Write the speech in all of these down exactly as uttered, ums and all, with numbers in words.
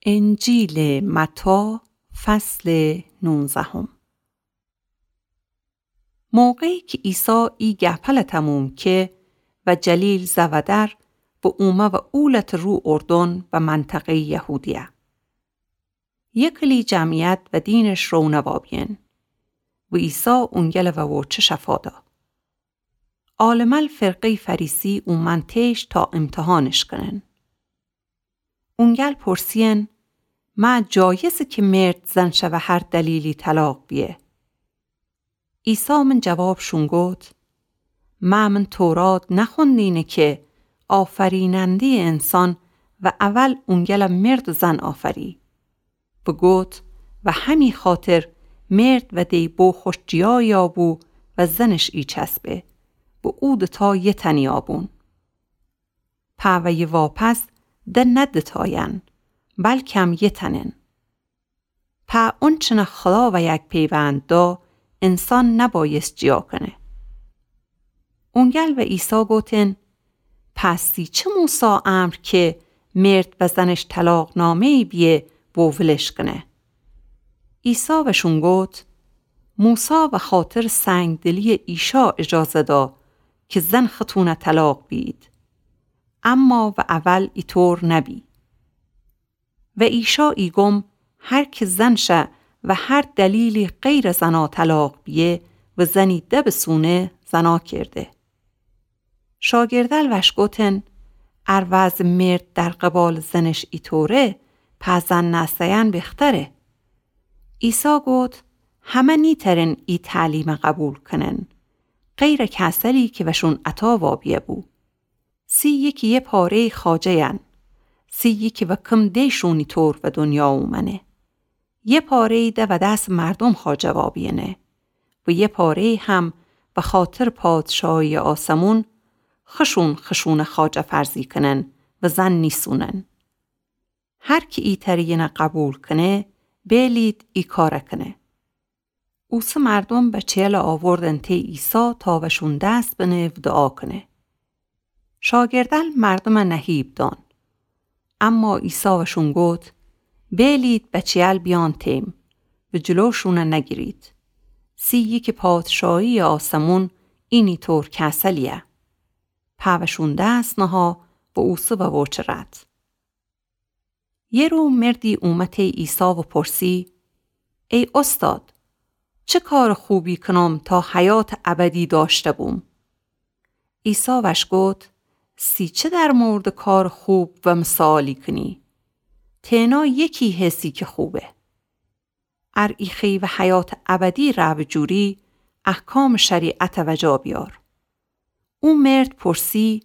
انجیلٚ متی، فصلٚ نونزهم. موقعی کی عیسی ای گپل تموم که، و جلیل زودر، و اومه و اولتٚ رو اردن و منطقه‌یٚ یهودیه. یه کلی جمعیت و دینش رونه وابیین. و عیسی اونگل و ووچه شفا دا. آلمل فرقه‌یٚ فریسی اومن تیش تا امتحانش کنن. اونگل پرسیین، مه جایزه کی مرد زن شه و هر دلیلی طلاق بیه؟ عیسی من جوابشون گفت، مه من تورات نخوندینه که آفریننده‌یٚ انسان و اول اونگل مرد و زن آفری؟ و گفت، و همی خاطر مرد و دیبو خوش جیایی آبو و زنش ایچسبه و او دوتا یه تنی آبون. په ویی واپس ده نه دوتاین، بلکم یه تنن. په اونچنه خدا و یک پیوند دا، انسان نبایست جیا کنه. اونگل و عیسی گوتن، پس سی چه موسی امر که مرد و زنش طلاق‌نامه‌یی بیه و ولش کنه؟ عیسی وشون گوت، موسی و خاطر سنگدلی ایشا اجازه دا که زن ختونه طلاق بید. اما و اول ایطور نبی. و ایشا ایگم هر که زن شه و هر دلیلی غیر زنا طلاق بیه و زنی ده بسونه زنا کرده. شاگردل وش گوتن، ار وضع مرد در قبال زنش ایطوره، په زن نأسه‌ین بختره. عیسی گوت، همه نیترن ای تعلیم قبول کنن، غیر کسلی که وشون عطا وابیه بو. سی یکی یه پاره‌یٚ خواجه‌ین، سی یکی و کم دیشون ایطور و دنیا اومنه. یه پاره‌یی ده و دس مردم خواجه وابیینه و یه پاره‌یی هم و خاطر پادشاهی آسمون خشون خشون خواجه فرضی کنن و زن نیسونن. هر کی ای تریینه قبول کنه، بیلید ای کاره کنه. اوسه مردم بچه‌یل آوردن تی عیسی تا وشون دس بنه و دعا کنه. شاگردل مردم نهیب دان. اما عیسی وشون گوت، بیلید بچه‌یل بیان تیم و جلوشونه نگیرید. سی یکی پادشاهی آسمون اینی طور کسلیه. په وشون دس نها و اوسه و ووچه رد. یه رو مردی اومه تی عیسی و پرسی، ای استاد، چه کار خوبی کنم تا حیات ابدی داشته بوم؟ عیسی وش گوت، سی چه در موردٚ کار خوب و مثالی کنی؟ تنها یکی هسی که خوبه. ار ایخی و حیات ابدی ره بجوری، احکام شریعت و جا بیار. او مرد پرسی،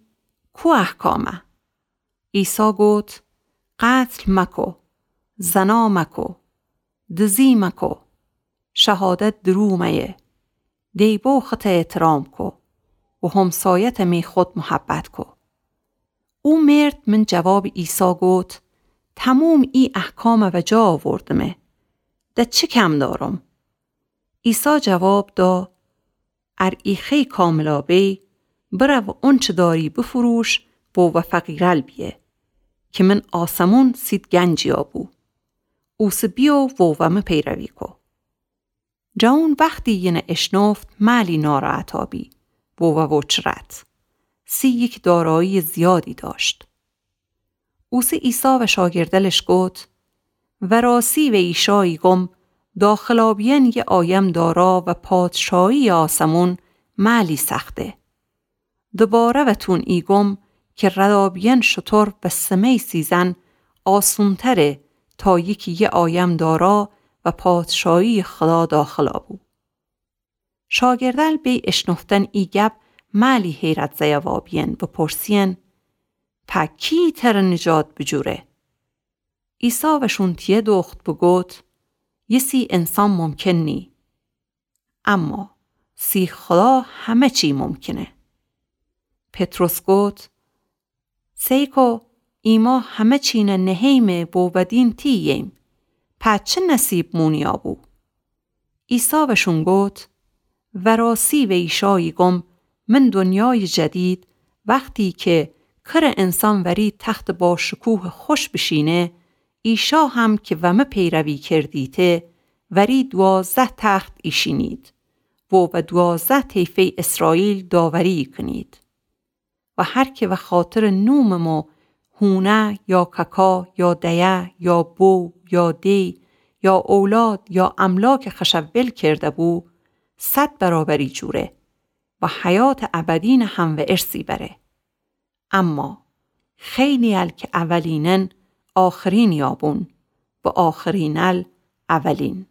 کو احکامه؟ عیسی گوت، قتل مکو، زنا مکو، دزی مکو، شهادت درو مأیه، دیبو خطه احترام کو و همسایت می خود محبت کو. او مرد من جواب عیسی گوت، تموم ای احکام و جا آوردمه، ده چه کم دارم؟ عیسی جواب دا، ار ایخی کاملا بی، برو اونچه داری بفروش و و فقیرل بیه، که من آسمون سید گنجی آبو. اوسه بیو و و مه پیروی کو. جوون وختی ینه اشنفت مألی ناراحتا بی و و وچ رد. سی یکی دارایی زیادی داشت. اوسه عیسی و شاگردلش گوت، وراسی و ایشا ایگم، داخلا بیین یه آیم دارا و پادشاهی آسمون مألی سخته. دوباره وتون ایگم که ردا بیین شتر و سمی سیزن آسونتره تا یکی یه آیم دارا و پادشاهی خدا داخلا بو. شاگردل بی اشنفتن ای گپ مألی حیرت زیه وابیین و پرسیین، په کی تره نجات بجوره؟ عیسی وشون تیه دوخت و گوت، یه سی انسان ممکن نی، اما سی خدا همه چی ممکنه. پطرس گوت، سیکو، ایما همه چینه نهیمه و ودین تی ییم، په چه نصیب مونیا بو؟ عیسی وشون گوت، وراسی و ایشا ایگم، من دنیای جدید، وختی که کره انسان وری تخت با شکوه خوش بشینه، ایشأ هم کی وه مه پیروی کردیته، وری دوازده تخت ایشینید و وه دوازده طیفهٔ اسرائیل داوری کنید. و هر کی وه خاطرٚ نومٚ مو هونه یا ککا یا دیه یا بو یا دی یا اولاد یا املاکٚ خوأشٚ ول کرده بو، صد برابری جوره و حیاتٚ ابدینٚ هموه ارثی بره. اما خیلی ال کی اولینن، آخرینی بون و آخرین ال اولین.